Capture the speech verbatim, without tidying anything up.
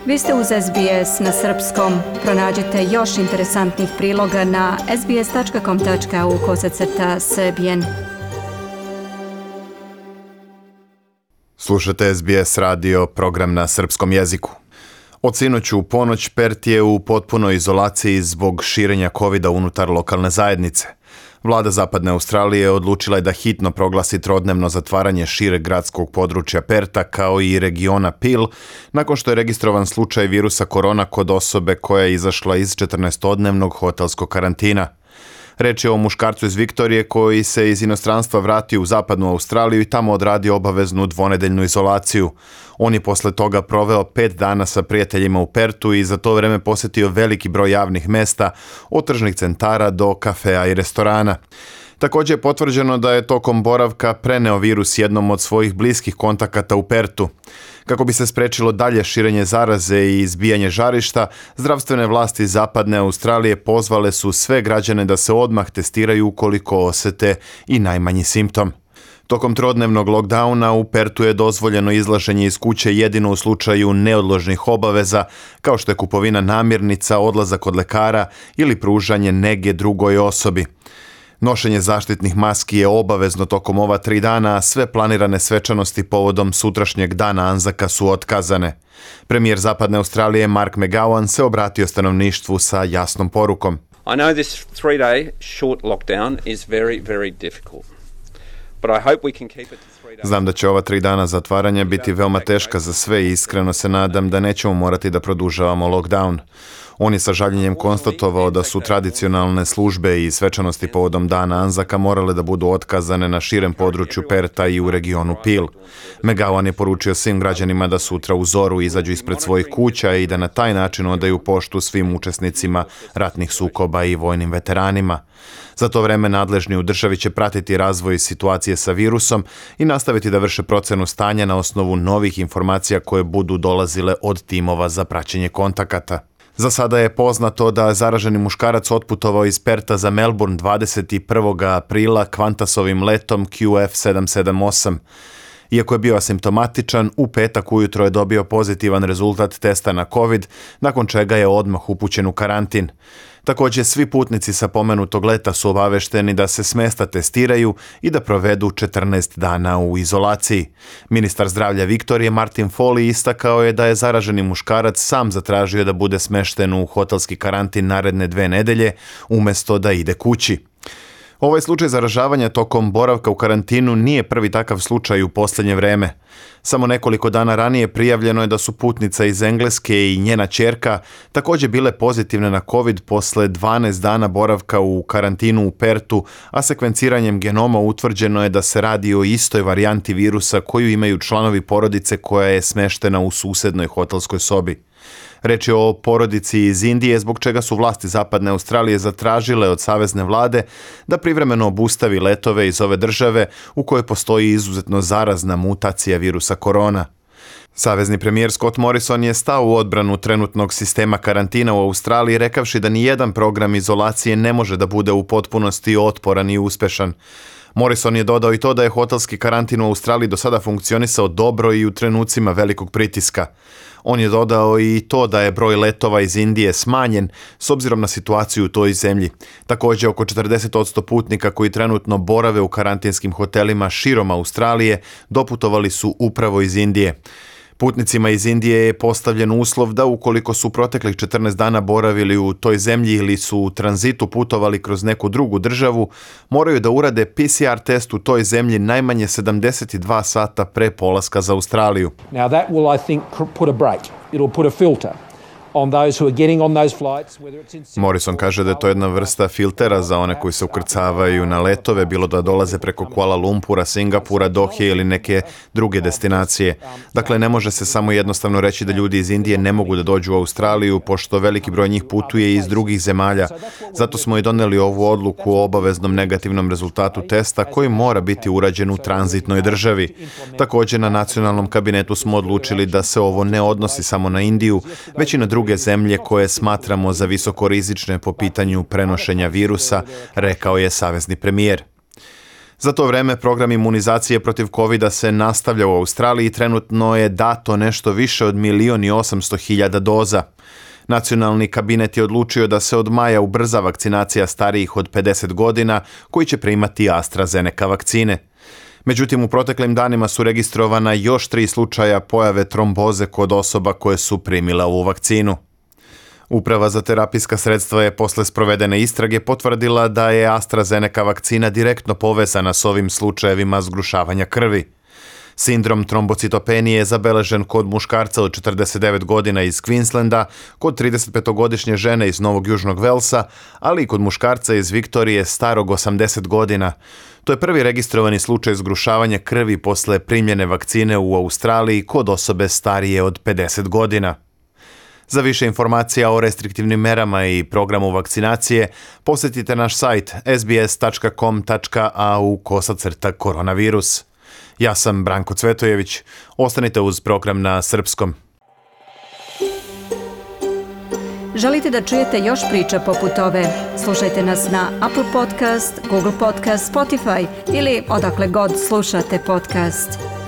Vi ste uz S B S na srpskom. Pronađite još interesantnih priloga na sbs.com.au kosacrta srbijen. Slušate S B S radio, program na srpskom jeziku. Od sinoć u ponoć Perth je u potpunoj izolaciji zbog širenja kovida unutar lokalne zajednice. Vlada Zapadne Australije odlučila je da hitno proglasi trodnevno zatvaranje šireg gradskog područja Pertha kao i regiona Peel, nakon što je registrovan slučaj virusa korona kod osobe koja je izašla iz četrnaestodnevnog hotelskog karantina. Reč je o muškarcu iz Viktorije koji se iz inostranstva vratio u Zapadnu Australiju i tamo odradio obaveznu dvonedeljnu izolaciju. On je posle toga proveo pet dana sa prijateljima u Perthu i za to vreme posjetio veliki broj javnih mesta, od tržnih centara do kafea i restorana. Također je potvrđeno da je tokom boravka preneo virus jednom od svojih bliskih kontakata u Perthu. Kako bi se sprečilo dalje širenje zaraze i izbijanje žarišta, zdravstvene vlasti Zapadne Australije pozvale su sve građane da se odmah testiraju ukoliko osete i najmanji simptom. Tokom trodnevnog lockdowna u Perthu je dozvoljeno izlaženje iz kuće jedino u slučaju neodložnih obaveza, kao što je kupovina namirnica, odlazak kod lekara ili pružanje nege drugoj osobi. Nošenje zaštitnih maski je obavezno tokom ova tri dana, a sve planirane svečanosti povodom sutrašnjeg dana Anzaka su otkazane. Premijer Zapadne Australije Mark McGowan se obratio stanovništvu sa jasnom porukom. I know this three-day short lockdown is very, very difficult. But I hope we can keep it to three days. Znam da će ova tri dana zatvaranja biti veoma teška za sve i iskreno se nadam da nećemo morati da produžavamo lockdown. On je sa žaljenjem konstatovao da su tradicionalne službe i svečanosti povodom dana Anzaka morale da budu otkazane na širem području Pertha i u regionu Peel. McGowan je poručio svim građanima da sutra u zoru izađu ispred svojih kuća i da na taj način odaju poštu svim učesnicima ratnih sukoba i vojnim veteranima. Za to vreme nadležni u državi će pratiti razvoj situacije sa virusom i nastaviti da vrše procenu stanja na osnovu novih informacija koje budu dolazile od timova za praćenje kontakata. Za sada je poznato da zaraženi muškarac otputovao iz Pertha za Melbourne dvadeset prvog aprila Qantasovim letom Q F sedam sedam osam. Iako je bio asimptomatičan, u petak ujutro je dobio pozitivan rezultat testa na COVID, nakon čega je odmah upućen u karantin. Također, svi putnici sa pomenutog leta su obavešteni da se s mesta testiraju i da provedu četrnaest dana u izolaciji. Ministar zdravlja Viktorije Martin Foley istakao je da je zaraženi muškarac sam zatražio da bude smešten u hotelski karantin naredne dve nedelje, umjesto da ide kući. Ovaj slučaj zaražavanja tokom boravka u karantinu nije prvi takav slučaj u posljednje vreme. Samo nekoliko dana ranije prijavljeno je da su putnica iz Engleske i njena ćerka također bile pozitivne na COVID posle dvanaest dana boravka u karantinu u Perthu, a sekvenciranjem genoma utvrđeno je da se radi o istoj varijanti virusa koju imaju članovi porodice koja je smeštena u susednoj hotelskoj sobi. Reč je o porodici iz Indije, zbog čega su vlasti Zapadne Australije zatražile od savezne vlade da privremeno obustavi letove iz ove države u kojoj postoji izuzetno zarazna mutacija virusa korona. Savezni premijer Scott Morrison je stao u odbranu trenutnog sistema karantina u Australiji, rekavši da ni jedan program izolacije ne može da bude u potpunosti otporan i uspešan. Morrison je dodao i to da je hotelski karantin u Australiji do sada funkcionisao dobro i u trenucima velikog pritiska. On je dodao i to da je broj letova iz Indije smanjen s obzirom na situaciju u toj zemlji. Također, oko četrdeset posto putnika koji trenutno borave u karantinskim hotelima širom Australije doputovali su upravo iz Indije. Putnicima iz Indije je postavljen uslov da ukoliko su proteklih četrnaest dana boravili u toj zemlji ili su u tranzitu putovali kroz neku drugu državu, moraju da urade P C R test u toj zemlji najmanje sedamdeset dva sata pre polaska za Australiju. Now that will, I think, put a brake. It'll put a filter on those who are getting on those flights, whether it's in... Morrison kaže da je to jedna vrsta filtera za one koji se ukrcavaju na letove, bilo da dolaze preko Kuala Lumpura, Singapura, Dohe ili neke druge destinacije. Dakle, ne može se samo jednostavno reći da ljudi iz Indije ne mogu da dođu u Australiju, pošto veliki broj njih putuje iz drugih zemalja. Zato smo i doneli ovu odluku o obaveznom negativnom rezultatu testa koji mora biti urađen u tranzitnoj državi. Također, na nacionalnom kabinetu smo odlučili da se ovo ne odnosi samo na Indiju, već i na druge zemlje koje smatramo za visokorizične po pitanju prenošenja virusa, rekao je savezni premijer. Za to vreme program imunizacije protiv kovida se nastavlja u Australiji i trenutno je dato nešto više od milion i osamsto hiljada doza. Nacionalni kabinet je odlučio da se od maja ubrza vakcinacija starijih od pedeset godina koji će primati AstraZeneca vakcine. Međutim, u proteklim danima su registrovana još tri slučaja pojave tromboze kod osoba koje su primile ovu vakcinu. Uprava za terapijska sredstva je posle sprovedene istrage potvrdila da je AstraZeneca vakcina direktno povezana s ovim slučajevima zgrušavanja krvi. Sindrom trombocitopenije je zabeležen kod muškarca od četrdeset devet godina iz Queenslanda, kod tridesetpetogodišnje žene iz Novog Južnog Velsa, ali i kod muškarca iz Viktorije starog osamdeset godina. To je prvi registrovani slučaj zgrušavanja krvi posle primljene vakcine u Australiji kod osobe starije od pedeset godina. Za više informacija o restriktivnim merama i programu vakcinacije posjetite naš sajt s b s tačka com tačka a u kosacrta koronavirus. Ja sam Branko Cvetojević. Ostanite uz program na srpskom. Želite da čujete još priča poput ove? Slušajte nas na Apple Podcast, Google Podcast, Spotify ili odakle god slušate podcast.